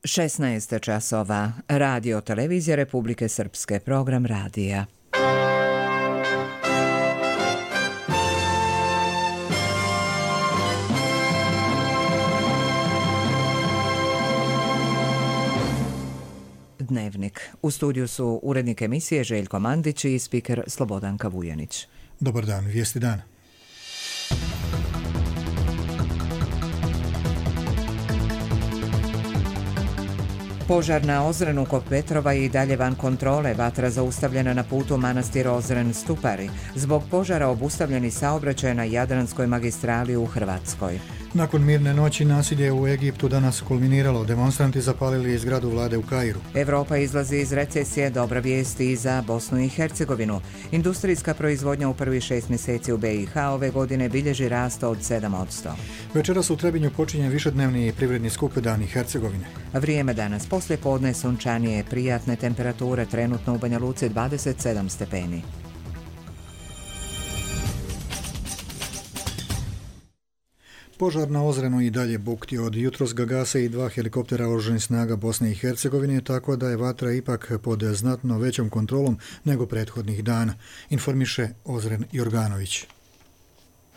16 časova. Radio televizija Republike Srpske, program radija. Dnevnik. U studiju su urednik emisije Željko Mandić i spiker Slobodanka Vujanić. Dobar dan, vijesti dana. Požar na Ozrenu kod Petrova i dalje van kontrole, vatra zaustavljena na putu manastir Ozren-Stupari. Zbog požara obustavljeni saobraćaj na Jadranskoj magistrali u Hrvatskoj. Nakon mirne noći nasilje u Egiptu danas kulminiralo. Demonstranti zapalili zgradu vlade u Kairu. Evropa izlazi iz recesije, dobra vijest i za Bosnu i Hercegovinu. Industrijska proizvodnja u prvih 6 mjeseci u BiH ove godine bilježi rast od 7%. Večeras u Trebinju počinje višednevni privredni skup Dani Hercegovine. Vrijeme danas poslije podne sunčanije, prijatne temperature, trenutno u Banja Luci 27 stepeni. Požar na Ozrenu i dalje bukti. Od jutros ga gase i 2 helikoptera oružanih snaga Bosne i Hercegovine, tako da je vatra ipak pod znatno većom kontrolom nego prethodnih dana, informiše Ozren Jorganović.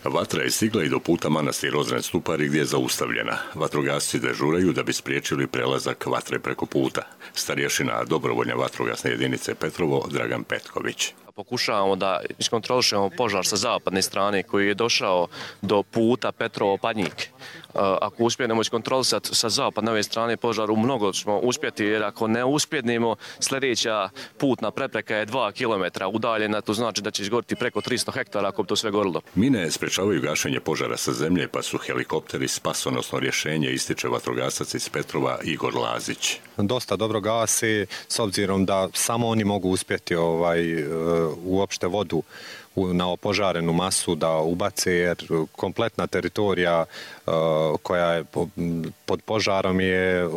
Vatra je stigla i do puta manastir Ozren-Stupari gdje je zaustavljena. Vatrogasci dežuraju da bi spriječili prelazak vatre preko puta. Starješina dobrovoljne vatrogasne jedinice Petrovo Dragan Petković. Pokušavamo da iskontrolišemo požar sa zapadne strane koji je došao do puta Petrovo-Padnjik. Ako uspijemo iskontrolisati sa zapadne ove strane požar, mnogo ćemo uspjeti, jer ako ne uspjednemo, sljedeća putna prepreka je 2 km udaljena, to znači da će izgoriti preko 300 hektara ako bi to sve gorilo. Mine sprečavaju gašenje požara sa zemlje, pa su helikopteri spasonosno rješenje, ističe vatrogasac iz Petrova Igor Lazić. Dosta dobro gasi, s obzirom da samo oni mogu uspjeti uopšte vodu na opožarenu masu da ubace, jer kompletna teritorija koja je pod požarom je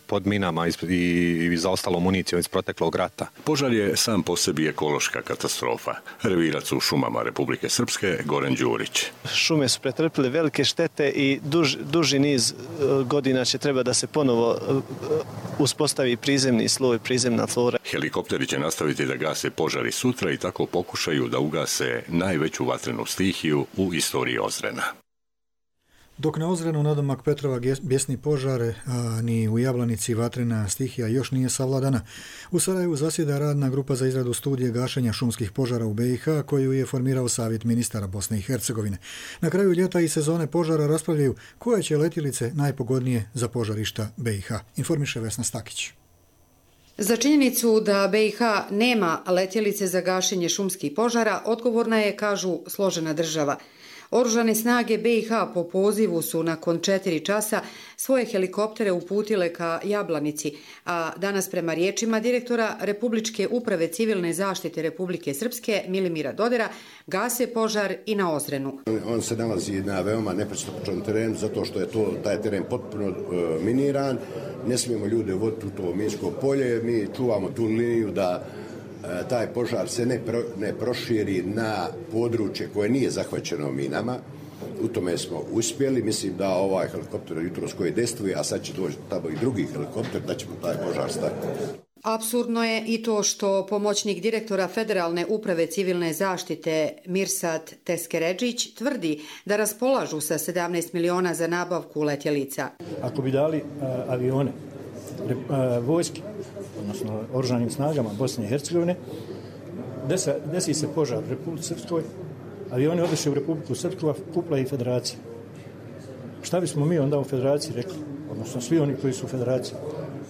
pod minama i zaostalom municijom iz proteklog rata. Požar je sam po sebi ekološka katastrofa. Revirac u šumama Republike Srpske Goran Đurić. Šume su pretrpile velike štete i duži niz godina će treba da se ponovo uspostavi prizemni sloj, prizemna flora. Helikopteri će nastaviti da gase požari sutra i tako pokušaju da ugase najveću vatrenu stihiju u istoriji Ozrena. Dok na Ozrenu nadomak Petrova bjesni požare, a ni u Jablanici vatrena stihija još nije savladana, u Sarajevu zasjeda radna grupa za izradu studije gašenja šumskih požara u BiH koju je formirao Savjet ministara Bosne i Hercegovine. Na kraju ljeta i sezone požara raspravljaju koje će letjelice najpogodnije za požarišta BiH, informiše Vesna Stakić. Za činjenicu da BiH nema letjelice za gašenje šumskih požara odgovorna je, kažu, složena država. Oružane snage BiH po pozivu su nakon 4 časa svoje helikoptere uputile ka Jablanici, a danas prema riječima direktora Republičke uprave civilne zaštite Republike Srpske Milimira Dodera gase požar i na Ozrenu. On se nalazi na veoma nepristupačnom terenu zato što je taj teren potpuno miniran. Ne smijemo ljude voditi u to minsko polje, mi čuvamo tu liniju da taj požar se ne proširi na područje koje nije zahvaćeno minama. U tome smo uspjeli. Mislim da ovaj helikopter jutros koji dejstvuje, a sad će doći tamo i drugi helikopter, da ćemo taj požar stati. Apsurdno je i to što pomoćnik direktora Federalne uprave civilne zaštite Mirsad Teskeredžić tvrdi da raspolažu sa 17 miliona za nabavku letjelica. Ako bi dali avione vojske, odnosno oružanim snagama Bosne i Hercegovine, desi se požar u Republici Srpskoj, avioni odeše u Republiku Srpsku, a kupla i federacija. Šta bismo mi onda u federaciji rekli, odnosno svi oni koji su u federaciji?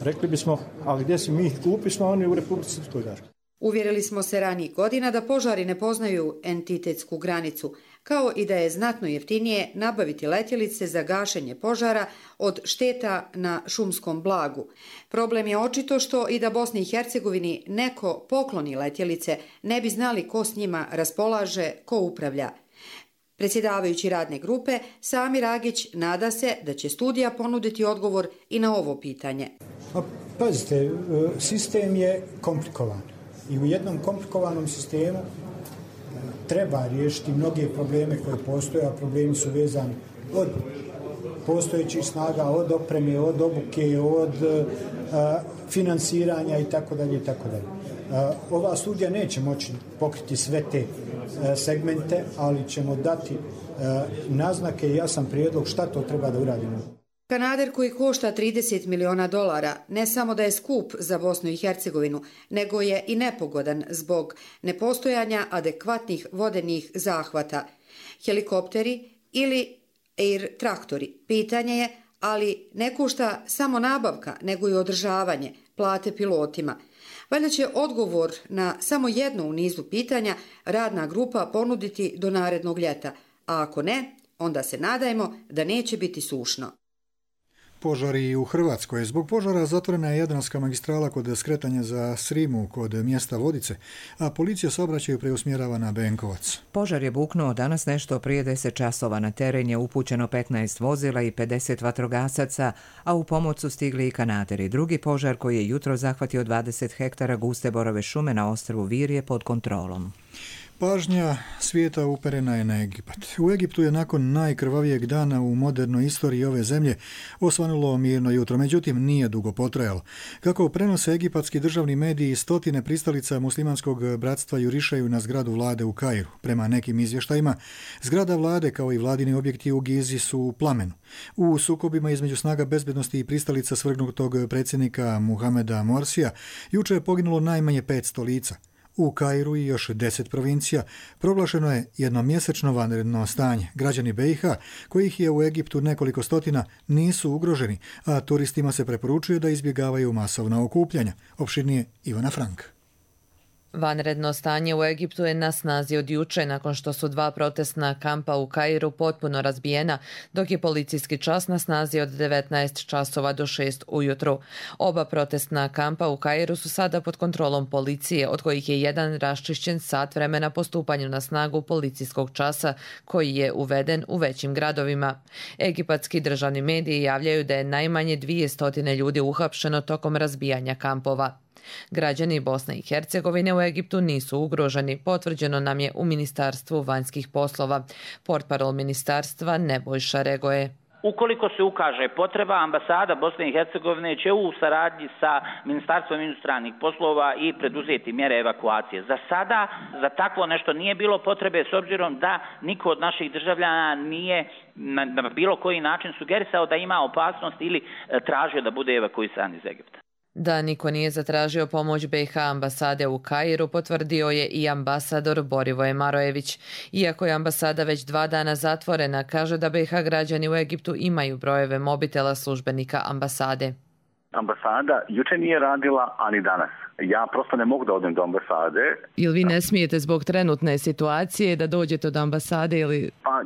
Rekli bismo, ali gdje si mi kupi smo, oni u Republici Srpskoj daš. Uvjerili smo se ranijih godina da požari ne poznaju entitetsku granicu, kao i da je znatno jeftinije nabaviti letjelice za gašenje požara od šteta na šumskom blagu. Problem je očito što i da Bosni i Hercegovini neko pokloni letjelice, ne bi znali ko s njima raspolaže, ko upravlja. Predsjedavajući radne grupe, Sami Ragić nada se da će studija ponuditi odgovor i na ovo pitanje. Pazite, sistem je komplikovan i u jednom komplikovanom sistemu treba riješiti mnoge probleme koje postoje, a problemi su vezani od postojećih snaga, od opreme, od obuke, od finansiranja itd. Ova studija neće moći pokriti sve te segmente, ali ćemo dati naznake i jasan prijedlog šta to treba da uradimo. Kanader koji košta $30 miliona ne samo da je skup za Bosnu i Hercegovinu, nego je i nepogodan zbog nepostojanja adekvatnih vodenih zahvata. Helikopteri ili air traktori, pitanje je, ali ne košta samo nabavka, nego i održavanje, plate pilotima. Valjda će odgovor na samo jedno u nizu pitanja radna grupa ponuditi do narednog ljeta, a ako ne, onda se nadajmo da neće biti sušno. Požari u Hrvatskoj. Zbog požara zatvorena je Jadranska magistrala kod skretanja za Srimu kod mjesta Vodice, a policija saobraćaj preusmjerava na Benkovac. Požar je buknuo danas nešto prije 10 časova. Na teren je upućeno 15 vozila i 50 vatrogasaca, a u pomoć su stigli i kanaderi. Drugi požar koji je jutro zahvatio 20 hektara guste borove šume na ostrvu Vir je pod kontrolom. Pažnja svijeta uperena je na Egipat. U Egiptu je nakon najkrvavijeg dana u modernoj istoriji ove zemlje osvanulo mirno jutro, međutim nije dugo potrajalo. Kako prenose egipatski državni mediji, stotine pristalica muslimanskog bratstva jurišaju na zgradu vlade u Kairu. Prema nekim izvještajima, zgrada vlade kao i vladini objekti u Gizi su u plamenu. U sukobima između snaga bezbednosti i pristalica svrgnutog predsjednika Muhameda Morsija juče je poginulo najmanje 500 lica. U Kairu i još 10 provincija proglašeno je jednomjesečno vanredno stanje. Građani BiH, kojih je u Egiptu nekoliko stotina, nisu ugroženi, a turistima se preporučuje da izbjegavaju masovna okupljanja. Opširnije Ivana Frank. Vanredno stanje u Egiptu je na snazi od juče nakon što su 2 protestna kampa u Kairu potpuno razbijena, dok je policijski čas na snazi od 19 časova do 6 ujutru. Oba protestna kampa u Kairu su sada pod kontrolom policije, od kojih je jedan raščišćen sat vremena po stupanju na snagu policijskog časa, koji je uveden u većim gradovima. Egipatski državni mediji javljaju da je najmanje 200 ljudi uhapšeno tokom razbijanja kampova. Građani Bosne i Hercegovine u Egiptu nisu ugroženi, potvrđeno nam je u Ministarstvu vanjskih poslova. Portparol ministarstva Nebojša Regoje. Ukoliko se ukaže potreba, ambasada Bosne i Hercegovine će u saradnji sa Ministarstvom inostranih poslova i preduzeti mjere evakuacije. Za sada, za takvo nešto nije bilo potrebe, s obzirom da niko od naših državljana nije na bilo koji način sugerisao da ima opasnost ili tražio da bude evakuisan iz Egipta. Da niko nije zatražio pomoć BiH ambasade u Kairu, potvrdio je i ambasador Borivoje Marojević. Iako je ambasada već 2 dana zatvorena, kaže da BiH građani u Egiptu imaju brojeve mobitela službenika ambasade. Ambasada juče nije radila, ani danas. Ja prosto ne mogu da odem do ambasade. Ili vi ne smijete zbog trenutne situacije da dođete do ambasade ili... Pa,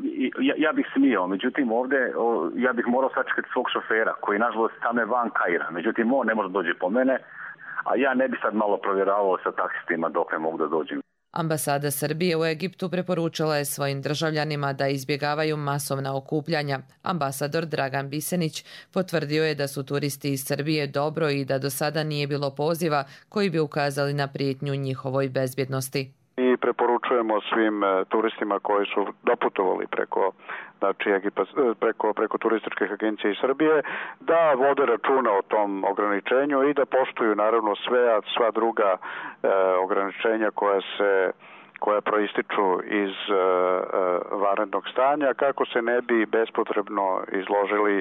ja bih smio, međutim ovdje ja bih morao sačekati svog šofera koji nažalost stane van Kaira. Međutim on ne može doći po mene, a ja ne bi sad malo provjeravao sa taksistima dok ne mogu da dođem. Ambasada Srbije u Egiptu preporučila je svojim državljanima da izbjegavaju masovna okupljanja. Ambasador Dragan Bisenić potvrdio je da su turisti iz Srbije dobro i da do sada nije bilo poziva koji bi ukazali na prijetnju njihovoj bezbjednosti. Mi preporučujemo svim turistima koji su doputovali preko turističkih agencija iz Srbije da vode računa o tom ograničenju i da poštuju naravno sva druga ograničenja koja proističu iz vanrednog stanja, kako se ne bi bespotrebno izložili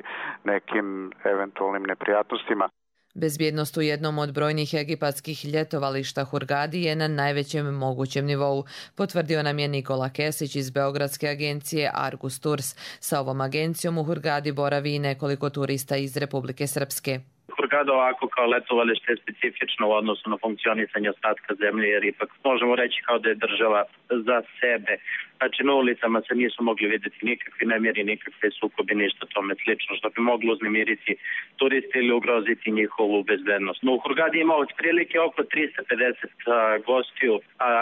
nekim eventualnim neprijatnostima. Bezbjednost u jednom od brojnih egipatskih ljetovališta Hurgadi je na najvećem mogućem nivou, potvrdio nam je Nikola Kesić iz beogradske agencije Argus Tours. Sa ovom agencijom u Hurgadi boravi i nekoliko turista iz Republike Srpske. Hurgada ovako kao letovalište je specifično u odnosu na funkcionisanje ostatka zemlje, jer ipak možemo reći kao da je država za sebe. Znači na ulicama se nisu mogli vidjeti nikakvi nemiri, nikakve sukobi, ništa tome slično, što bi moglo uznemiriti turiste ili ugroziti njihovu bezbednost. No u Hurgadi ima otprilike oko 350 gostiju,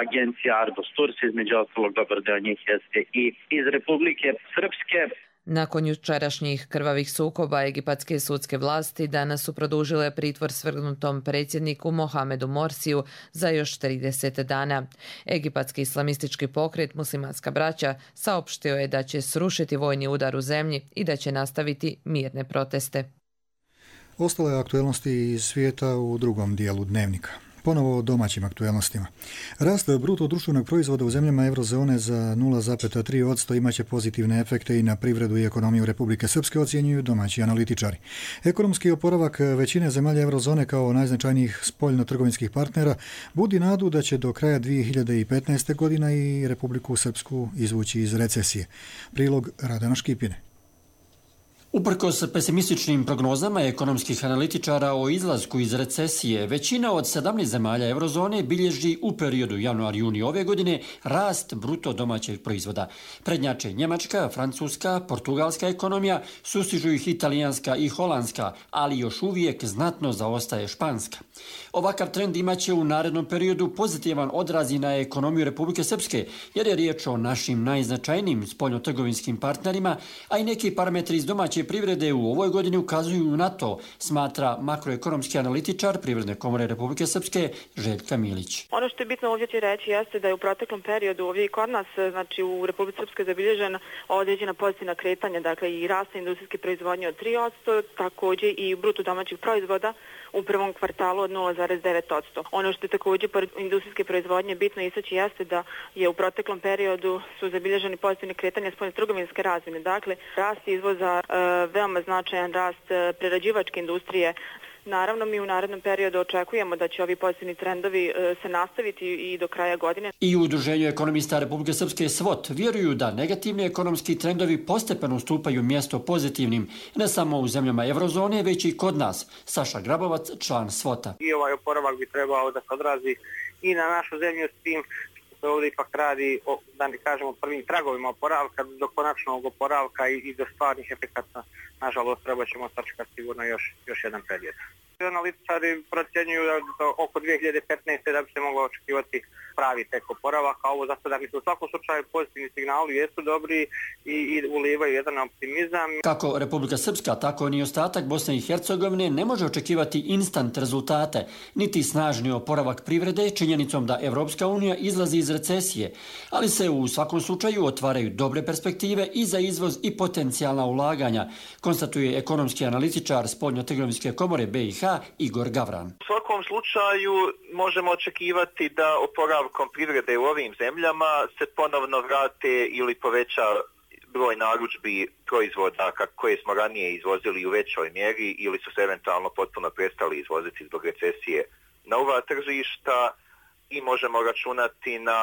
agencija Argus Tours, između ostalog dobar deo njih jeste i iz Republike Srpske. Nakon jučerašnjih krvavih sukoba, egipatske sudske vlasti danas su produžile pritvor svrgnutom predsjedniku Mohamedu Morsiju za još 30 dana. Egipatski islamistički pokret Muslimanska braća saopštio je da će srušiti vojni udar u zemlji i da će nastaviti mirne proteste. Ostale aktuelnosti iz svijeta u drugom dijelu dnevnika. Ponovo o domaćim aktuelnostima. Rast bruto društvenog proizvoda u zemljama eurozone za 0,3% imaće pozitivne efekte i na privredu i ekonomiju Republike Srpske, ocjenjuju domaći analitičari. Ekonomski oporavak većine zemalja eurozone kao najznačajnijih spoljno-trgovinskih partnera budi nadu da će do kraja 2015. godina i Republiku Srpsku izvući iz recesije. Prilog Radana Škipine. Uprkos pesimističnim prognozama ekonomskih analitičara o izlasku iz recesije, većina od 17 zemalja eurozone bilježi u periodu januar-juni ove godine rast bruto domaćeg proizvoda. Prednjače Njemačka, Francuska, Portugalska ekonomija, sustižu ih italijanska i holandska, ali još uvijek znatno zaostaje španska. Ovakav trend imaće u narednom periodu pozitivan odraz i na ekonomiju Republike Srpske, jer je riječ o našim najznačajnijim spoljno-trgovinskim partnerima, a i neki parametri iz domaće privrede u ovoj godini ukazuju na to, smatra makroekonomski analitičar Privredne komore Republike Srpske Željka Milić. Ono što je bitno ovdje će reći jeste da je u proteklom periodu ovdje i kod nas, znači u Republike Srpske zabilježena određena pozitivna kretanja, dakle i rasta industrijske proizvodnje od 3%, također i bruto domaćih proizvoda u prvom kvartalu od 0,9%. Ono što je također pored industrijske proizvodnje bitno istaći jeste da je u proteklom periodu su zabilježeni pozitivne kretanja spoljno-trgovinske razmjene. Dakle, rast izvoza, veoma značajan rast prerađivačke industrije. Naravno, mi u narednom periodu očekujemo da će ovi pozitivni trendovi se nastaviti i do kraja godine. I u Udruženju ekonomista Republike Srpske SWOT vjeruju da negativni ekonomski trendovi postepeno ustupaju mjesto pozitivnim, ne samo u zemljama eurozone, već i kod nas. Saša Grabovac, član SWOT-a. I ovaj oporavak bi trebao da se odrazi i na našu zemlju s tim što ovdje ipak radi, da ne kažemo, prvim tragovima oporavka, do konačnog oporavka i do stvarnih efekata. Nažalost, treba ćemo sačekati sigurno još jedan period. Analitičari procjenjuju da oko 2015. da bi se moglo očekivati pravi tek oporavak, a ovo zato da bi se u svakom slučaju pozitivni signali jesu dobri i ulivaju jedan optimizam. Kako Republika Srpska, tako ni ostatak Bosne i Hercegovine ne može očekivati instant rezultate, niti snažni oporavak privrede činjenicom da Evropska unija izlazi iz recesije, ali se u svakom slučaju otvaraju dobre perspektive i za izvoz i potencijalna ulaganja, konstatuje ekonomski analitičar Spoljno-trgovinske komore BiH Igor Gavran. U svakom slučaju možemo očekivati da oporavkom privrede u ovim zemljama se ponovno vrate ili poveća broj narudžbi proizvoda koje smo ranije izvozili u većoj mjeri ili su se eventualno potpuno prestali izvoziti zbog recesije na ova tržišta i možemo računati na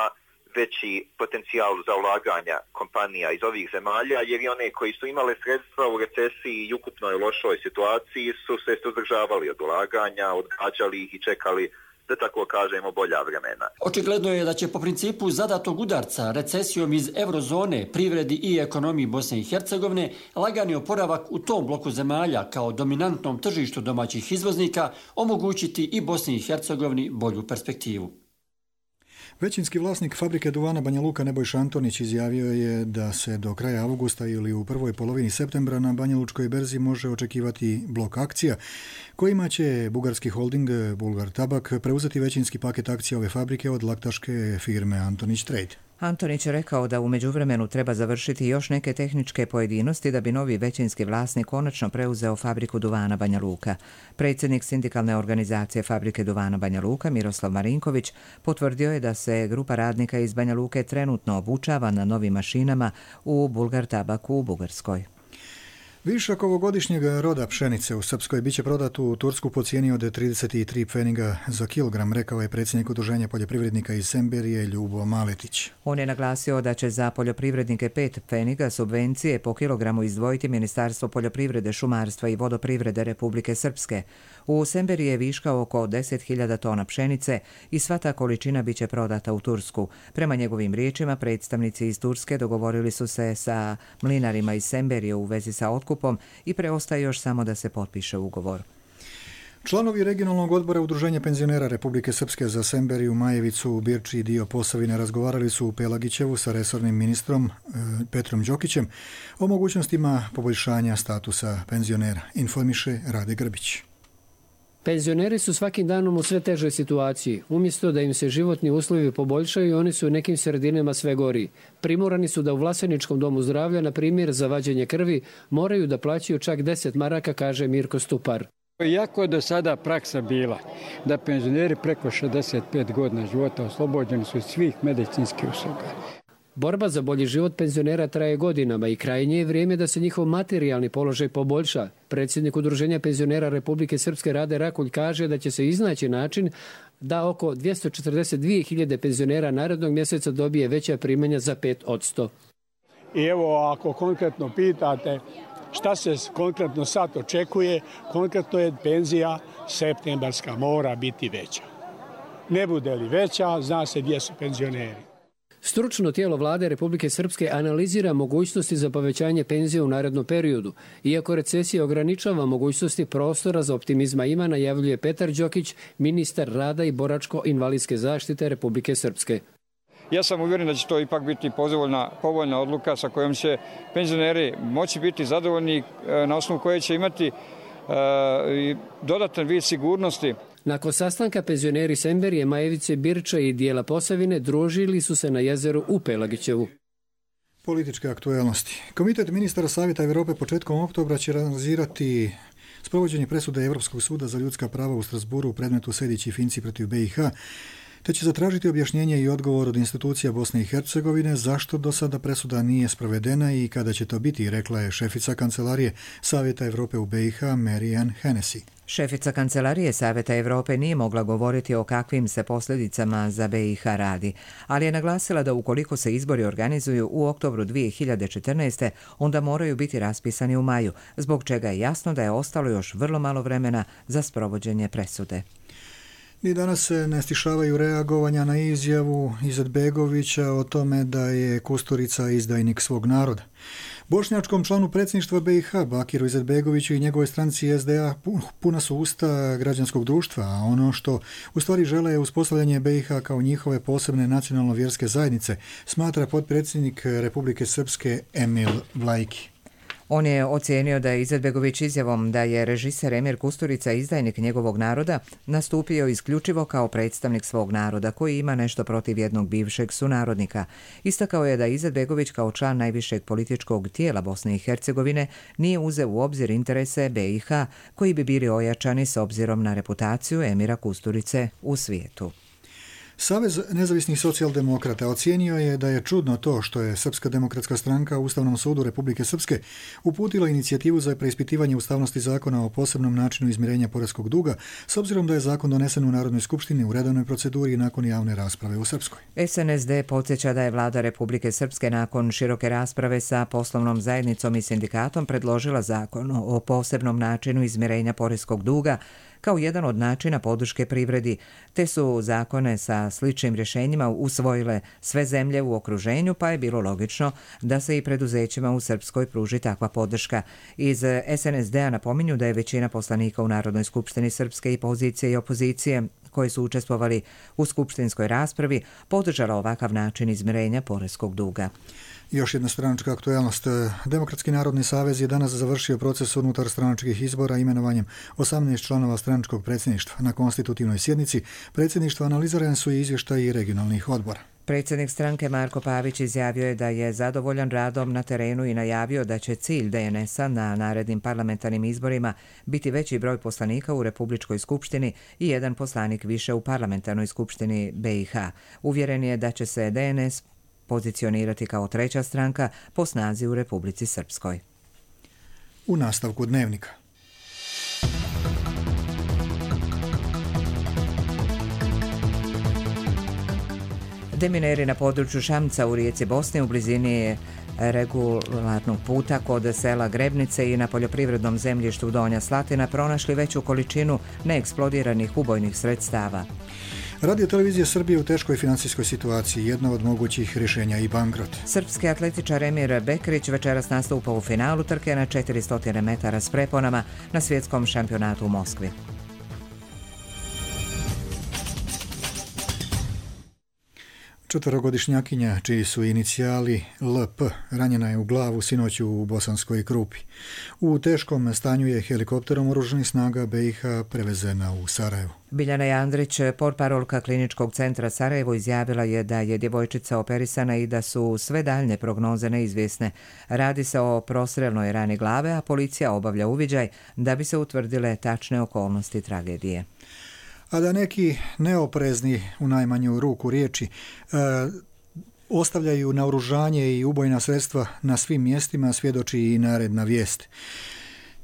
veći potencijal za ulaganja kompanija iz ovih zemalja, jer i one koji su imale sredstva u recesiji i ukupnoj lošoj situaciji su se suzdržavali od ulaganja, odgađali ih i čekali, da tako kažemo, bolja vremena. Očigledno je da će po principu zadatog udarca recesijom iz eurozone, privredi i ekonomiji Bosne i Hercegovine lagani oporavak u tom bloku zemalja kao dominantnom tržištu domaćih izvoznika omogućiti i Bosni i Hercegovini bolju perspektivu. Većinski vlasnik fabrike duvana Banja Luka Nebojša Antonić izjavio je da se do kraja avgusta ili u prvoj polovini septembra na Banja Lučkoj berzi može očekivati blok akcija kojima će bugarski holding Bulgar Tabak preuzeti većinski paket akcija ove fabrike od laktaške firme Antonić Trade. Antonić je rekao da u međuvremenu treba završiti još neke tehničke pojedinosti da bi novi većinski vlasnik konačno preuzeo fabriku duvana Banja Luka. Predsjednik sindikalne organizacije fabrike duvana Banja Luka Miroslav Marinković potvrdio je da se grupa radnika iz Banja Luke trenutno obučava na novim mašinama u Bulgar Tabaku u Bugarskoj. Višak ovogodišnjeg roda pšenice u Srpskoj biće prodat u Tursku po cijeni od 33 pfeniga za kilogram, rekao je predsjednik Udruženja poljoprivrednika iz Semberije Ljubo Maletić. On je naglasio da će za poljoprivrednike 5 pfeniga subvencije po kilogramu izdvojiti Ministarstvo poljoprivrede, šumarstva i vodoprivrede Republike Srpske. U Semberiji je viška oko 10.000 tona pšenice i sva ta količina biće prodata u Tursku. Prema njegovim riječima, predstavnici iz Turske dogovorili su se sa mlinarima iz Semberije u vezi sa otkupom i preostaje još samo da se potpiše ugovor. Članovi regionalnog odbora Udruženja penzionera Republike Srpske za Semberiju, Majevicu, Birči i dio Posavine razgovarali su u Pelagićevu sa resornim ministrom Petrom Đokićem o mogućnostima poboljšanja statusa penzionera, informiše Rade Grbić. Penzioneri su svakim danom u sve težoj situaciji. Umjesto da im se životni uslovi poboljšaju, oni su u nekim sredinama sve gori. Primorani su da u Vlaseničkom domu zdravlja, na primjer za vađenje krvi, moraju da plaćaju čak 10 maraka, kaže Mirko Stupar. Iako je do sada praksa bila da penzioneri preko 65 godina života oslobođeni su svih medicinskih usluga. Borba za bolji život penzionera traje godinama i krajnje je vrijeme da se njihov materijalni položaj poboljša. Predsjednik Udruženja penzionera Republike Srpske Rade Rakulj kaže da će se iznaći način da oko 242.000 penzionera narednog mjeseca dobije veća primanja za 5%. I evo, ako konkretno pitate šta se konkretno sad očekuje, konkretno je penzija septembarska mora biti veća. Ne bude li veća, zna se gdje su penzioneri. Stručno tijelo vlade Republike Srpske analizira mogućnosti za povećanje penzije u narednom periodu. Iako recesija ograničava mogućnosti, prostora za optimizma ima, najavljuje Petar Đokić, ministar rada i boračko-invalidske zaštite Republike Srpske. Ja sam uvjeren da će to ipak biti povoljna odluka sa kojom će penzioneri moći biti zadovoljni, na osnovu koje će imati dodatan vid sigurnosti. Nakon sastanka penzioneri Semberije, Majevice, Birča i dijela Posavine družili su se na jezeru u Pelagićevu. Političke aktuelnosti. Komitet ministara Savjeta Europe početkom oktobra će analizirati sprovođenje presude Europskog suda za ljudska prava u Strasburu u predmetu Sejdić i Finci protiv BiH, te će zatražiti objašnjenje i odgovor od institucija Bosne i Hercegovine zašto do sada presuda nije sprovedena i kada će to biti, rekla je šefica kancelarije Savjeta Europe u BiH Marianne Hennessy. Šefica kancelarije Savjeta Europe nije mogla govoriti o kakvim se posljedicama za BiH radi, ali je naglasila da ukoliko se izbori organizuju u oktobru 2014. onda moraju biti raspisani u maju, zbog čega je jasno da je ostalo još vrlo malo vremena za sprovođenje presude. Ni danas se ne stišavaju reagovanja na izjavu Izetbegovića o tome da je Kusturica izdajnik svog naroda. Bošnjačkom članu predsjedništva BiH, Bakiru Izetbegoviću i njegovoj stranci SDA puna su usta građanskog društva, a ono što u stvari žele je uspostavljanje BiH kao njihove posebne nacionalno-vjerske zajednice, smatra potpredsjednik Republike Srpske Emil Vlajki. On je ocijenio da je Izetbegović izjavom da je režiser Emir Kusturica izdajnik njegovog naroda nastupio isključivo kao predstavnik svog naroda koji ima nešto protiv jednog bivšeg sunarodnika. Istakao je da Izetbegović kao član najvišeg političkog tijela Bosne i Hercegovine nije uzeo u obzir interese BiH koji bi bili ojačani s obzirom na reputaciju Emira Kusturice u svijetu. Savez nezavisnih socijaldemokrata ocijenio je da je čudno to što je Srpska demokratska stranka u Ustavnom sudu Republike Srpske uputila inicijativu za preispitivanje ustavnosti zakona o posebnom načinu izmirenja poreskog duga, s obzirom da je zakon donesen u Narodnoj skupštini u redovnoj proceduri nakon javne rasprave u Srpskoj. SNSD podsjeća da je vlada Republike Srpske nakon široke rasprave sa poslovnom zajednicom i sindikatom predložila zakon o posebnom načinu izmirenja poreskog duga kao jedan od načina podrške privredi, te su zakone sa sličnim rješenjima usvojile sve zemlje u okruženju, pa je bilo logično da se i preduzećima u Srpskoj pruži takva podrška. Iz SNSD-a napominju da je većina poslanika u Narodnoj skupštini Srpske i pozicije i opozicije koji su učestvovali u skupštinskoj raspravi podržala ovakav način izmirenja poreskog duga. Još jedna stranačka aktuelnost. Demokratski narodni savez je danas završio proces unutar stranačkih izbora imenovanjem 18 članova stranačkog predsjedništva. Na konstitutivnoj sjednici predsjedništva analizirani su i izvještaji regionalnih odbora. Predsjednik stranke Marko Pavić izjavio je da je zadovoljan radom na terenu i najavio da će cilj DNS-a na narednim parlamentarnim izborima biti veći broj poslanika u Republičkoj skupštini i jedan poslanik više u parlamentarnoj skupštini BiH. Uvjeren je da će se DNS pozicionirati kao treća stranka po snazi u Republici Srpskoj. U nastavku dnevnika. Demineri na području Šamca u rijeci Bosne u blizini regularnog puta kod sela Grebnice i na poljoprivrednom zemljištu Donja Slatina pronašli veću količinu neeksplodiranih ubojnih sredstava. Radio televizija Srbije u teškoj financijskoj situaciji, jedna od mogućih rješenja i bankrot. Srpski atletičar Emir Bekrić večeras nastupa u polufinalu trke na 400 metara s preponama na svjetskom šampionatu u Moskvi. Četverogodišnjakinja, čiji su inicijali LP, ranjena je u glavu sinoć u Bosanskoj Krupi. U teškom stanju je helikopterom oružanih snaga BiH prevezena u Sarajevo. Biljana Jandrić, portparolka Kliničkog centra Sarajevo, izjavila je da je djevojčica operisana i da su sve daljne prognoze neizvjesne. Radi se o prostrelnoj rani glave, a policija obavlja uviđaj da bi se utvrdile tačne okolnosti tragedije. A da neki neoprezni, u najmanju ruku riječi, ostavljaju naoružanje i ubojna sredstva na svim mjestima, svjedoči i naredna vijest.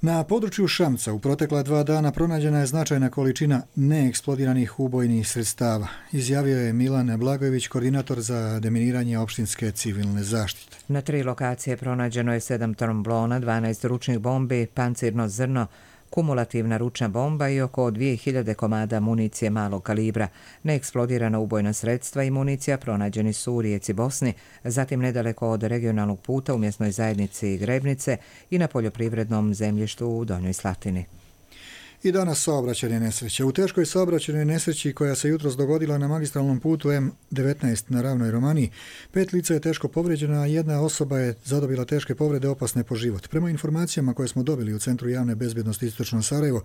Na području Šamca u protekla 2 dana pronađena je značajna količina neeksplodiranih ubojnih sredstava, izjavio je Milan Blagojević, koordinator za deminiranje opštinske civilne zaštite. Na 3 lokacije pronađeno je 7 tromblona, 12 ručnih bombi, pancirno zrno, kumulativna ručna bomba i oko 2000 komada municije malog kalibra. Neeksplodirana ubojna sredstva i municija pronađeni su u rijeci Bosni, zatim nedaleko od regionalnog puta u mjesnoj zajednici Grebnice i na poljoprivrednom zemljištu u Donjoj Slatini. I danas saobraćajne nesreće. U teškoj saobraćajnoj nesreći koja se jutros dogodila na magistralnom putu M19 na Ravnoj Romaniji, 5 lica je teško povrijeđena, a 1 osoba je zadobila teške povrede opasne po život. Prema informacijama koje smo dobili u Centru javne bezbjednosti Istočno Sarajevo,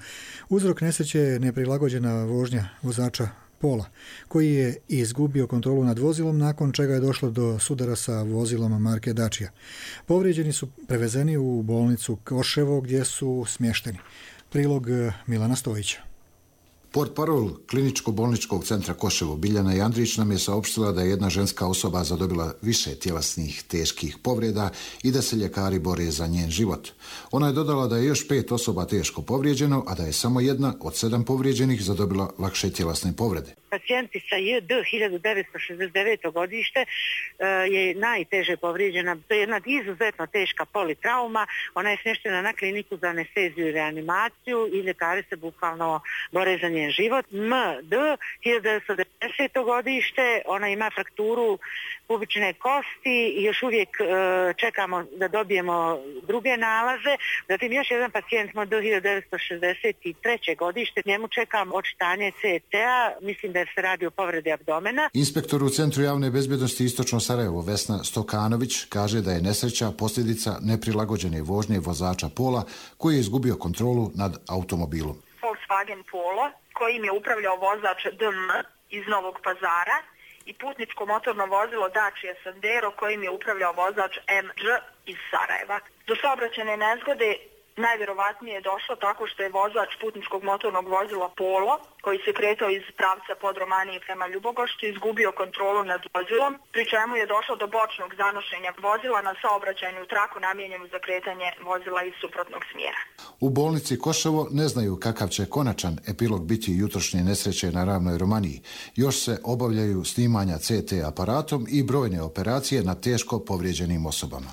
uzrok nesreće je neprilagođena vožnja vozača Pola, koji je izgubio kontrolu nad vozilom, nakon čega je došlo do sudara sa vozilom marke Dacia. Povrijeđeni su prevezeni u bolnicu Koševo gdje su smješteni. Prilog Milana Stojića. Portparol Kliničko-bolničkog centra Koševo Biljana Jandrić nam je saopštila da je jedna ženska osoba zadobila više tjelesnih teških povreda i da se ljekari bore za njen život. Ona je dodala da je još 5 osoba teško povrijeđeno, a da je samo 1 od 7 povrijeđenih zadobila lakše tjelesne povrede. Pacijentica JD 1969. godište je najteže povrijeđena. To je jedna izuzetno teška politrauma. Ona je smještena na kliniku za anesteziju i reanimaciju i ljekari se bukvalno bore za njen život. MD 1990. godište, ona ima frakturu pubične kosti i još uvijek čekamo da dobijemo druge nalaze. Zatim još jedan pacijent MD 1963. godište, njemu čekam očitanje CT-a, mislim da se radi o povredi abdomena. Inspektor u Centru javne bezbjednosti Istočno Sarajevo Vesna Stokanović kaže da je nesreća posljedica neprilagođene vožnje vozača Pola koji je izgubio kontrolu nad automobilom. Volkswagen Polo kojim je upravljao vozač DM iz Novog Pazara i putničko motorno vozilo Dacia Sandero kojim je upravljao vozač Mđ iz Sarajeva. Do saobraćajne nezgode najvjerovatnije je došlo tako što je vozač putničkog motornog vozila Polo, koji se kretao iz pravca pod Romanije prema Ljubogošću, izgubio kontrolu nad vozilom, pri čemu je došlo do bočnog zanošenja vozila na saobraćajnu traku namijenjenu za kretanje vozila iz suprotnog smjera. U bolnici Koševo ne znaju kakav će konačan epilog biti jutrošnje nesreće na Ravnoj Romaniji. Još se obavljaju snimanja CT aparatom i brojne operacije na teško povrijeđenim osobama.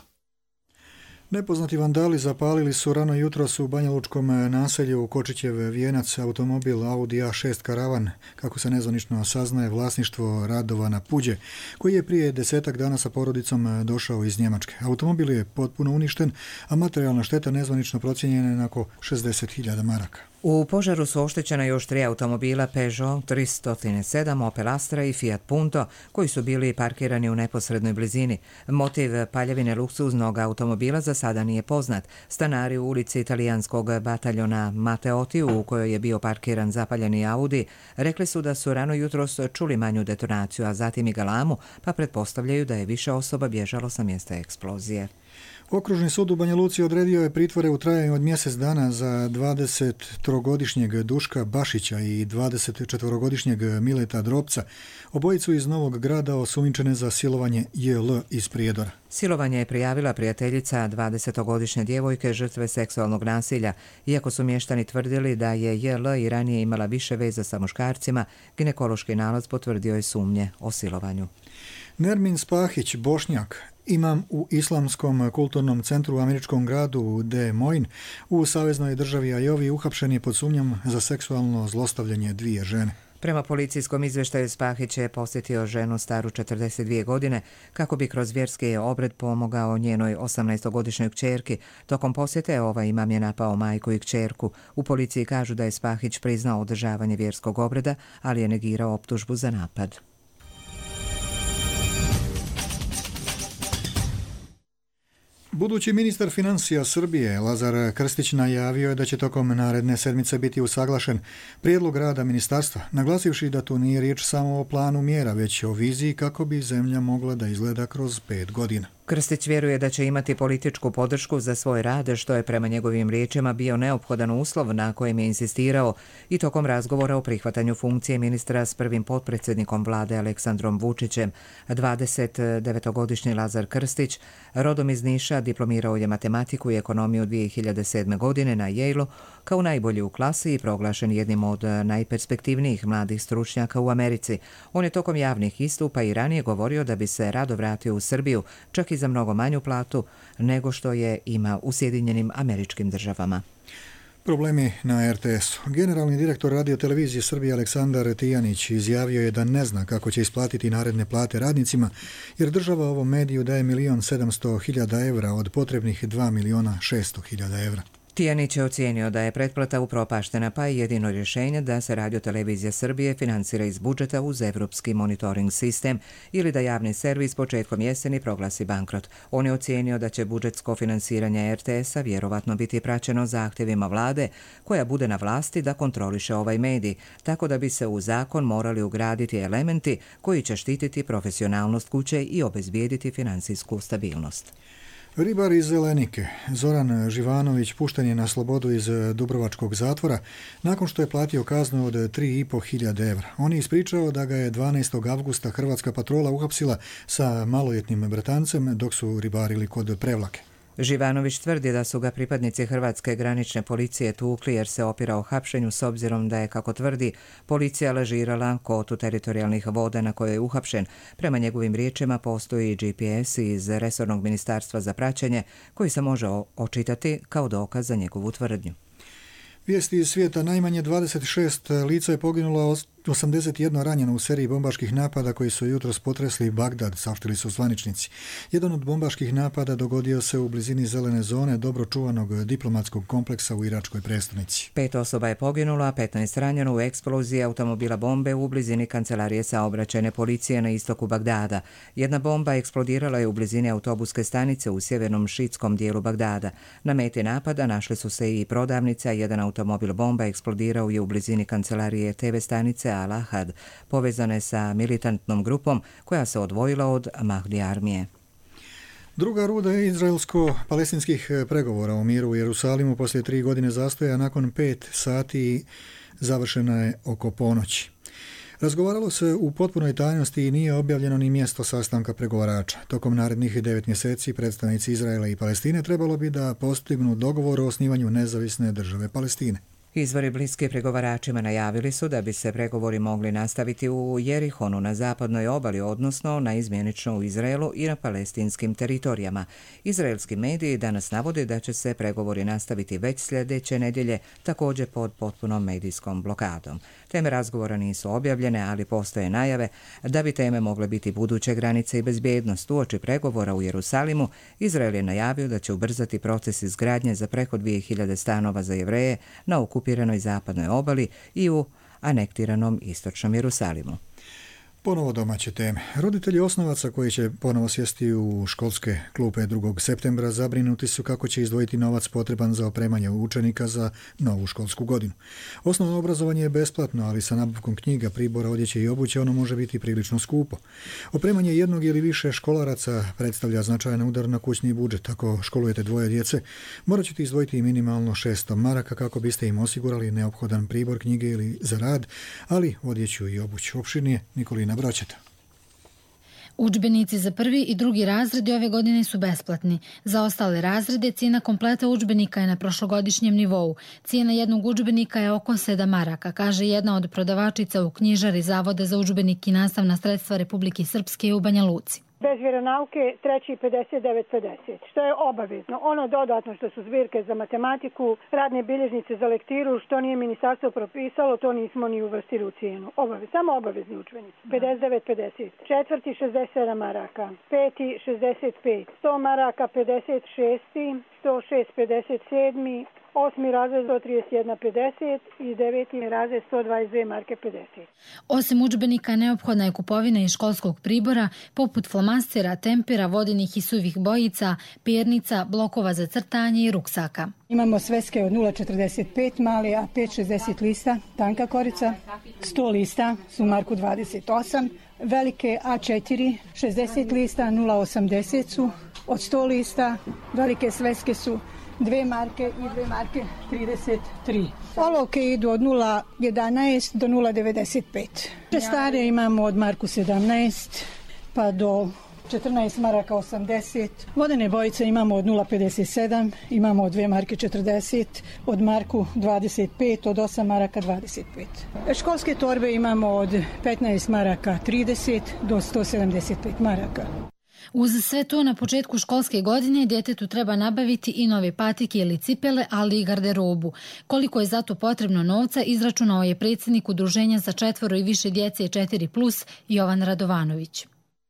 Nepoznati vandali zapalili su rano jutros u Banjalučkom naselju Kočićev Vijenac automobil Audi A6 Karavan, kako se nezvanično saznaje, vlasništvo Radovana Puđe, koji je prije 10 dana sa porodicom došao iz Njemačke. Automobil je potpuno uništen, a materijalna šteta nezvanično procijenjena je na oko 60.000 maraka. U požaru su oštećena još 3 automobila Peugeot 307, Opel Astra i Fiat Punto, koji su bili parkirani u neposrednoj blizini. Motiv paljevine luksuznog automobila za sada nije poznat. Stanari u ulici italijanskog bataljona Mateoti, u kojoj je bio parkiran zapaljeni Audi, rekli su da su rano jutros čuli manju detonaciju, a zatim i galamu, pa pretpostavljaju da je više osoba bježalo sa mjesta eksplozije. Okružni sud u Banja Luci odredio je pritvore u trajanju od mjesec dana za 23-godišnjeg Duška Bašića i 24-godišnjeg Mileta Drobca, obojicu iz Novog Grada osumnjičene za silovanje JL iz Prijedora. Silovanje je prijavila prijateljica 20-godišnje djevojke žrtve seksualnog nasilja. Iako su mještani tvrdili da je JL i ranije imala više veza sa muškarcima, ginekološki nalaz potvrdio je sumnje o silovanju. Nermin Spahić, Bošnjak, imam u Islamskom kulturnom centru u američkom gradu Des Moines u saveznoj državi Iovi, uhapšen je pod sumnjom za seksualno zlostavljanje 2 žene. Prema policijskom izvještaju Spahić je posjetio ženu staru 42 godine kako bi kroz vjerski obred pomogao njenoj 18-godišnjoj kćerki. Tokom posjete ovaj imam je napao majku i kćerku. U policiji kažu da je Spahić priznao održavanje vjerskog obreda, ali je negirao optužbu za napad. Budući ministar financija Srbije Lazar Krstić najavio je da će tokom naredne sedmice biti usaglašen prijedlog rada ministarstva, naglasivši da tu nije riječ samo o planu mjera, već o viziji kako bi zemlja mogla da izgleda kroz 5 godina. Krstić vjeruje da će imati političku podršku za svoj rad, što je prema njegovim riječima bio neophodan uslov na kojem je insistirao i tokom razgovora o prihvatanju funkcije ministra s prvim potpredsjednikom vlade Aleksandrom Vučićem. 29-godišnji Lazar Krstić, rodom iz Niša, diplomirao je matematiku i ekonomiju 2007. godine na Yale-u kao najbolji u klasi i proglašen jednim od najperspektivnijih mladih stručnjaka u Americi. On je tokom javnih istupa i ranije govorio da bi se rado vratio u Srbiju, čak i za mnogo manju platu nego što je ima u Sjedinjenim Američkim Državama. Problemi na RTS-u. Generalni direktor radiotelevizije Srbije Aleksandar Tijanić izjavio je da ne zna kako će isplatiti naredne plate radnicima, jer država ovom mediju daje 1.700.000 evra od potrebnih 2.600.000 evra. Tijanić je ocijenio da je pretplata upropaštena, pa je jedino rješenje da se radiotelevizija Srbije financira iz budžeta uz evropski monitoring sistem ili da javni servis početkom jeseni proglasi bankrot. On je ocijenio da će budžetsko finansiranje RTS-a vjerovatno biti praćeno zahtjevima vlade koja bude na vlasti da kontroliše ovaj medij, tako da bi se u zakon morali ugraditi elementi koji će štititi profesionalnost kuće i obezbijediti financijsku stabilnost. Ribar iz Zelenike, Zoran Živanović, pušten je na slobodu iz Dubrovačkog zatvora nakon što je platio kaznu od 3.500 evra. On je ispričao da ga je 12. avgusta hrvatska patrola uhapsila sa maloljetnim bratancem dok su ribarili kod Prevlake. Živanović tvrdi da su ga pripadnici Hrvatske granične policije tukli jer se opirao hapšenju s obzirom da je, kako tvrdi, policija lažirala kotu teritorijalnih voda na kojoj je uhapšen. Prema njegovim riječima postoji GPS iz resornog ministarstva za praćenje koji se može očitati kao dokaz za njegovu tvrdnju. Vijesti iz svijeta. Najmanje 26 lica je poginulo, 81 ranjeno u seriji bombaških napada koji su jutros potresli Bagdad, saopštili su zvaničnici. Jedan od bombaških napada dogodio se u blizini zelene zone dobro čuvanog diplomatskog kompleksa u iračkoj prestonici. 5 osoba je poginulo, a 15 ranjeno u eksploziji automobila bombe u blizini kancelarije saobraćajne policije na istoku Bagdada. Jedna bomba eksplodirala je u blizini autobuske stanice u sjevernom šiitskom dijelu Bagdada. Na meti napada našli su se i prodavnice, a jedan automobil bomba eksplodirao je u blizini kancelarije TV stanice Al-Ahad, povezane sa militantnom grupom koja se odvojila od Mahdi armije. Druga runda izraelsko-palestinskih pregovora o miru u Jerusalimu poslije 3 godine zastoja nakon 5 sati završena je oko ponoći. Razgovaralo se u potpunoj tajnosti i nije objavljeno ni mjesto sastanka pregovarača. Tokom narednih 9 mjeseci predstavnici Izraela i Palestine trebalo bi da postignu dogovor o osnivanju nezavisne države Palestine. Izvori bliski pregovaračima najavili su da bi se pregovori mogli nastaviti u Jerihonu na zapadnoj obali, odnosno naizmjenično u Izraelu i na palestinskim teritorijama. Izraelski mediji danas navode da će se pregovori nastaviti već sljedeće nedjelje, također pod potpunom medijskom blokadom. Teme razgovora nisu objavljene, ali postoje najave da bi teme mogle biti buduće granice i bezbjednost. Uoči pregovora u Jerusalimu, Izrael je najavio da će ubrzati proces izgradnje za preko 2000 stanova za Jevreje na okupiranoj zapadnoj obali i u anektiranom istočnom Jerusalimu. Ponovo domaće teme. Roditelji osnovaca koji će ponovo sjesti u školske klupe 2. septembra zabrinuti su kako će izdvojiti novac potreban za opremanje učenika za novu školsku godinu. Osnovno obrazovanje je besplatno, ali sa nabavkom knjiga, pribora, odjeće i obuće ono može biti prilično skupo. Opremanje jednog ili više školaraca predstavlja značajan udar na kućni budžet. Ako školujete 2 djece, morat ćete izdvojiti minimalno 600 maraka kako biste im osigurali neophodan pribor, knjige ili za rad, ali odjeću i obuću. Opširnije Nikolina Braćeta. Udžbenici za 1. i 2. razredi ove godine su besplatni. Za ostale razrede cijena kompleta udžbenika je na prošlogodišnjem nivou. Cijena jednog udžbenika je oko 7 maraka, kaže jedna od prodavačica u knjižari Zavoda za udžbenik i nastavna sredstva Republike Srpske u Banja Luci. Bez vjeronauke treći 59,50, što je obavezno. Ono dodatno što su zbirke za matematiku, radne bilježnice za lektiru, što nije ministarstvo propisalo, to nismo ni uvrstili u cijenu. Samo obavezni udžbenici. 59,50. Četvrti 67 maraka, 5. 65, 100 maraka 56, 106 57, 8. razred 131,50 i 9. razred 122 marke 50. Osim udžbenika, neophodna je kupovina i školskog pribora, poput flomastera, tempera, vodenih i suvih bojica, pernica, blokova za crtanje i ruksaka. Imamo sveske od 0,45 mali, a 5,60 lista, tanka korica, 100 lista su marku 28, velike A4, 60 lista, 0,80 su, od 100 lista, velike sveske su 2 marke i 2 marke 33. Olovke idu od 0,11 do 0,95. Stare imamo od marku 17 pa do 14 maraka 80. Vodene bojice imamo od 0,57, imamo od 2 marke 40, od marku 25, od 8 maraka 25. Školske torbe imamo od 15 maraka 30 do 175 maraka. Uz sve to, na početku školske godine djetetu treba nabaviti i nove patike ili cipele, ali i garderobu. Koliko je zato potrebno novca, izračunao je predsjednik Udruženja za 4 i više djece 4+, Jovan Radovanović.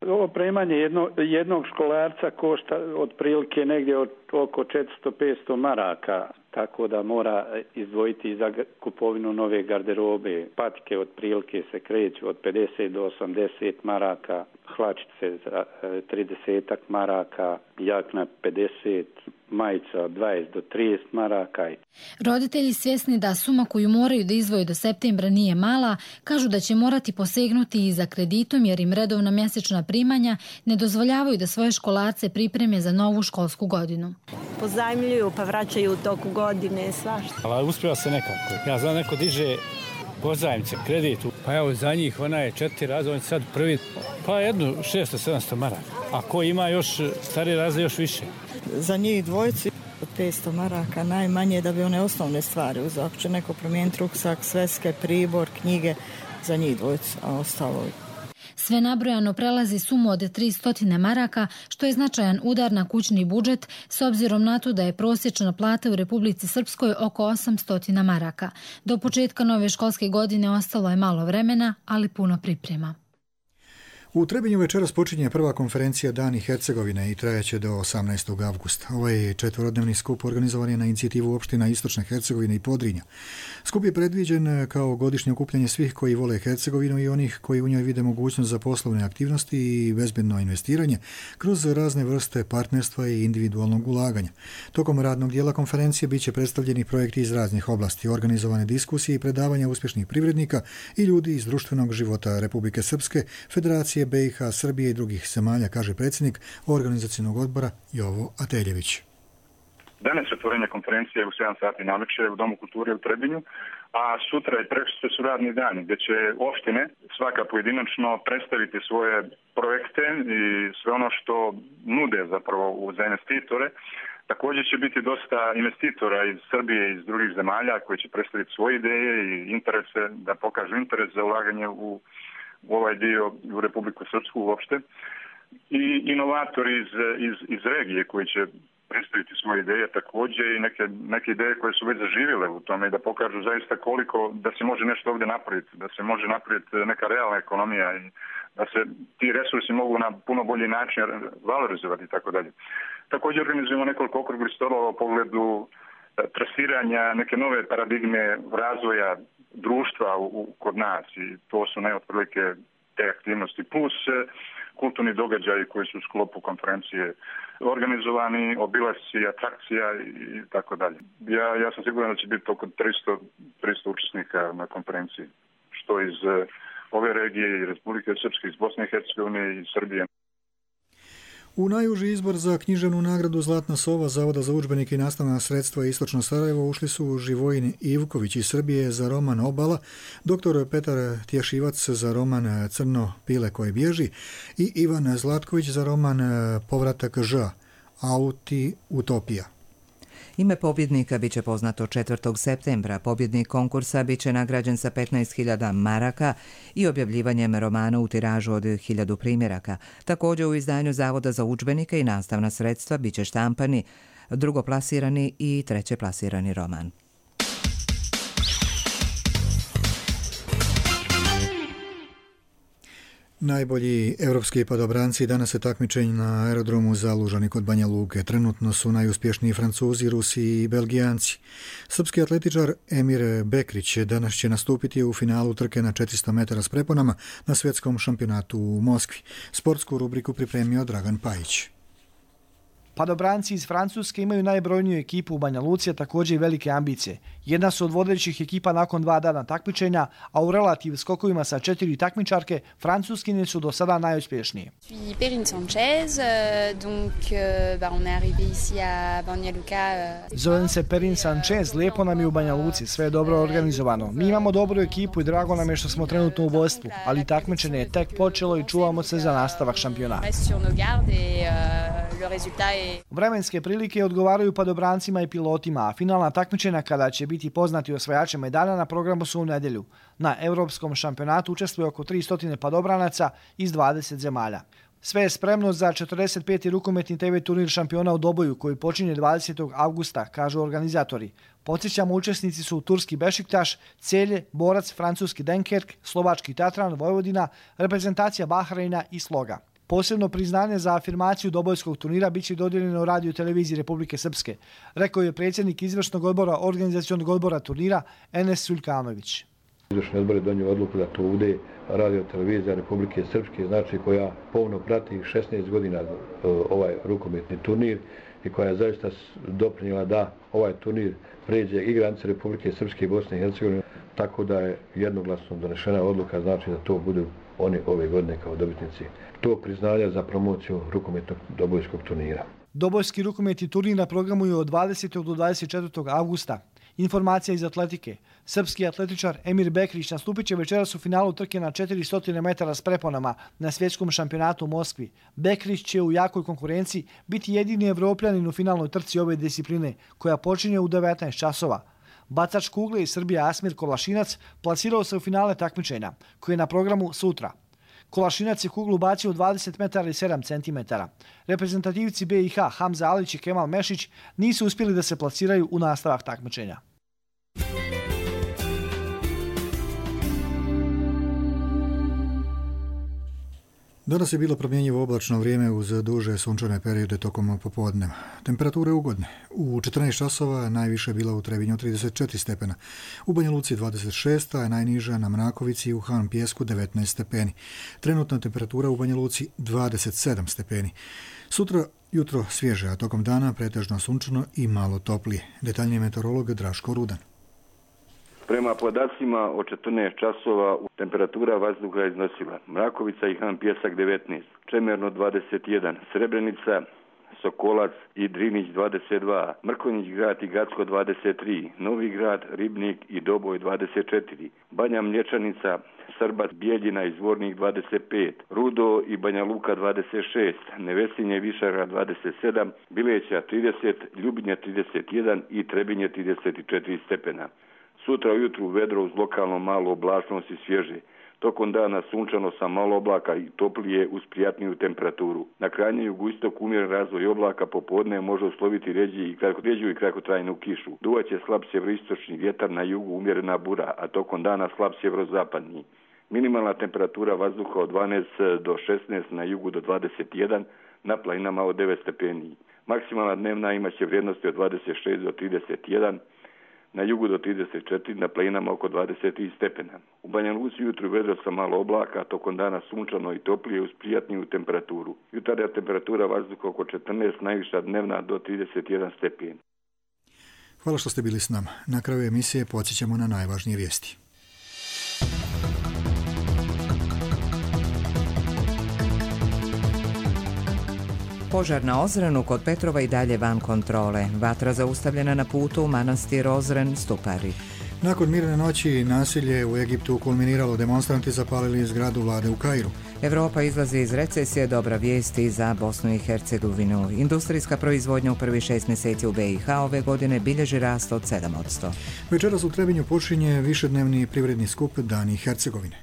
Ovo opremanje jednog školarca košta otprilike negdje oko 400-500 maraka, tako da mora izdvojiti za kupovinu nove garderobe. Patike otprilike se kreću od 50 do 80 maraka, hlačice za 30 maraka, jakna 50, majica od 20 do 30 maraka. Roditelji, svjesni da suma koju moraju da izdvoje do septembra nije mala, kažu da će morati posegnuti i za kreditom jer im redovna mjesečna primanja ne dozvoljavaju da svoje školarce pripreme za novu školsku godinu. Pozajmljuju pa vraćaju u toku godine svašta. Ali uspjeva se nekako. Ja znam, neko diže pozajmice, kreditu. Pa evo za njih ona je 4 razreda, on sad prvi, pa jednu 600-700 maraka. A ko ima još stari razred još više. Za njih dvojici 500 maraka najmanje da bi one osnovne stvari uzeo. Ako će neko promijeniti ruksak, sveske, pribor, knjige, za njih dvojicu, a ostalo. Sve nabrojano prelazi sumu od 300 maraka, što je značajan udar na kućni budžet, s obzirom na to da je prosječna plata u Republici Srpskoj oko 800 maraka. Do početka nove školske godine ostalo je malo vremena, ali puno priprema. U Trebinju večeras počinje prva konferencija Dani Hercegovine i trajaće do 18. avgusta. Ovaj četverodnevni skup organizovan je na inicijativu opština Istočne Hercegovine i Podrinja. Skup je predviđen kao godišnje okupljanje svih koji vole Hercegovinu i onih koji u njoj vide mogućnost za poslovne aktivnosti i bezbedno investiranje kroz razne vrste partnerstva i individualnog ulaganja. Tokom radnog dijela konferencije bit će predstavljeni projekti iz raznih oblasti, organizovane diskusije i predavanja uspješnih privrednika i ljudi iz društvenog života Republike Srpske, Federacije BiH, Srbije i drugih zemalja, kaže predsjednik organizacijnog odbora Jovo Ateljević. Danas je otvorenje konferencije u 7 sati navečer u Domu kulture u Trebinju, a sutra i prekosutra su radni dani gdje će opštine svaka pojedinačno predstaviti svoje projekte i sve ono što nude zapravo za investitore. Također će biti dosta investitora iz Srbije i iz drugih zemalja koji će predstaviti svoje ideje i interese, da pokažu interes za ulaganje u ovaj dio u Republiku Srpsku uopšte, i inovatori iz regije koji će predstaviti svoje ideje također i neke ideje koje su već zaživjele u tome i da pokažu zaista koliko da se može nešto ovdje napraviti, da se može napraviti neka realna ekonomija i da se ti resursi mogu na puno bolji način valorizovati i tako dalje. Također organizujemo nekoliko okruglih stolova u pogledu trasiranja neke nove paradigme razvoja društva kod nas i to su otprilike te aktivnosti plus kulturni događaji koji su u sklopu konferencije organizovani, obilasci, atrakcija i tako dalje. Ja sam siguran da će biti oko 300 učesnika na konferenciji, što iz ove regije i Republike Srpske, iz Bosne i Hercegovine i Srbije. U najuži izbor za književnu nagradu Zlatna sova Zavoda za udžbenike i nastavna sredstva Istočno Sarajevo ušli su Živojin Ivković iz Srbije za roman Obala, dr. Petar Tješivac za roman Crno pile koje bježi i Ivan Zlatković za roman Povratak Ž, Auti Utopija. Ime pobjednika bit će poznato 4. septembra. Pobjednik konkursa bit će nagrađen sa 15.000 maraka i objavljivanjem romana u tiražu od 1000 primjeraka. Također u izdanju Zavoda za udžbenike i nastavna sredstva bit će štampani drugoplasirani i trećeplasirani roman. Najbolji evropski padobranci danas se takmičenju na aerodromu Zalužani kod Banja Luke. Trenutno su najuspješniji Francuzi, Rusi i Belgijanci. Srpski atletičar Emir Bekrić danas će nastupiti u finalu trke na 400 metara s preponama na svjetskom šampionatu u Moskvi. Sportsku rubriku pripremio Dragan Pajić. Padobranci iz Francuske imaju najbrojniju ekipu u Banja Luci, a također i velike ambicije. Jedna su od vodećih ekipa nakon 2 dana takmičenja, a u relativ skokovima sa 4 takmičarke, Francuskinje su do sada najuspješnije. Zovem se Perrine Sanchez, lijepo nam je u Banja Luci, sve je dobro organizovano. Mi imamo dobru ekipu i drago nam je što smo trenutno u vodstvu, ali takmičenje je tek počelo i čuvamo se za nastavak šampionata. Vremenske prilike odgovaraju padobrancima i pilotima, a finalna takmičenja kada će biti poznati osvajači medalja na programu su u nedjelju. Na Europskom šampionatu učestvuje oko 300 padobranaca iz 20 zemalja. Sve je spremno za 45. rukometni TV turnir šampiona u Doboju koji počinje 20. avgusta, kažu organizatori. Podsjećamo, učesnici su turski Bešiktaš, Celje, Borac, francuski Dunkerque, slovački Tatran, Vojvodina, reprezentacija Bahreina i Sloga. Posebno priznanje za afirmaciju Dobojskog turnira biće dodijeljeno Radio televiziji Republike Srpske, rekao je predsjednik izvršnog odbora organizacionog odbora turnira Enes Suljkanović. Izvršni odbor je donio odluku da to bude Radio televizija Republike Srpske, znači koja povno prati 16 godina ovaj rukometni turnir i koja je zaista doprinijela da ovaj turnir pređe i granice Republike Srpske i Bosne i Hercegovine, tako da je jednoglasno donešena odluka, znači da to budu oni ove godine kao dobitnici tog priznanja za promociju rukometnog Dobojskog turnira. Dobojski rukometni turnir na programu je od 20. do 24. avgusta. Informacija iz atletike. Srpski atletičar Emir Bekrić nastupit će večeras u finalu trke na 400 metara s preponama na svjetskom šampionatu u Moskvi. Bekrić će u jakoj konkurenciji biti jedini Evropljanin u finalnoj trci ove discipline, koja počinje u 19 časova. Bacač kugle iz Srbije Asmir Kolašinac plasirao se u finale takmičenja, koji je na programu sutra. Kolašinac je kuglu bacio 20 metara i 7 centimetara. Reprezentativci BiH Hamza Alić i Kemal Mešić nisu uspjeli da se plasiraju u nastavak takmičenja. Danas je bilo promjenjivo oblačno vrijeme uz duže sunčane periode tokom popodneva. Temperature ugodne. U 14 časova najviše bila u Trebinju 34 stepena, u Banja Luci 26, a najniža na Mrakovici i u Han Pijesku 19 stepeni. Trenutna temperatura u Banja Luci 27 stepeni. Sutra jutro svježe, a tokom dana pretežno sunčano i malo toplije. Detaljniji meteorolog Draško Rudan. Prema podacima od 14 časova temperatura vazduha iznosila Mrakovica i Han Pijesak 19, Čemerno 21, Srebrenica, Sokolac i Drinić 22, Mrkonjić grad i Gacko 23, Novi grad, Ribnik i Doboj 24, Banja Mlječanica, Srbac, Bijeljina i Zvornik 25, Rudo i Banja Luka 26, Nevesinje i Višara 27, Bileća 30, Ljubinje 31 i Trebinje 34 stepena. Sutra ujutru vedro uz lokalno malu oblačnost i svježe. Tokom dana sunčano sa malo oblaka i toplije uz prijatniju temperaturu. Na krajnjem jugoistoku umjeren razvoj oblaka, popodne može usloviti ređu i kratkotrajnu kišu. Duvaće slab sjeveroistočni vjetar, na jugu umjerena bura, a tokom dana slab sjeverozapadni. Minimalna temperatura vazduha od 12 do 16, na jugu do 21, na planinama od 9 stepeni. Maksimalna dnevna imaće vrijednosti od 26 do 31, na jugu do 34, na planinama oko 23 stepena. U Banja Luci jutru vedro sa malo oblaka, tokom dana sunčano i toplije uz prijatniju temperaturu. Jutarnja temperatura vazduha oko 14, najviša dnevna do 31 stepen. Hvala što ste bili s nama. Na kraju emisije podsjećamo na najvažnije vijesti. Požar na Ozrenu kod Petrova i dalje van kontrole. Vatra zaustavljena na putu u manastir Ozren, Stupari. Nakon mirne noći nasilje u Egiptu kulminiralo, demonstranti zapalili zgradu vlade u Kairu. Evropa izlazi iz recesije, dobra vijesti za Bosnu i Hercegovinu. Industrijska proizvodnja u prvih 6 mjeseci u BiH ove godine bilježi rast od 7%. Večeras u Trebinju počinje višednevni privredni skup Dani Hercegovine.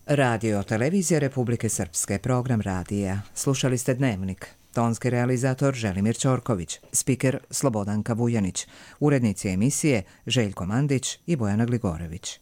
Radio televizija Republike Srpske, program radija. Slušali ste Dnevnik. Tonski realizator Želimir Ćorković, spiker Slobodanka Vujanić, urednici emisije Željko Mandić i Bojana Gligorević.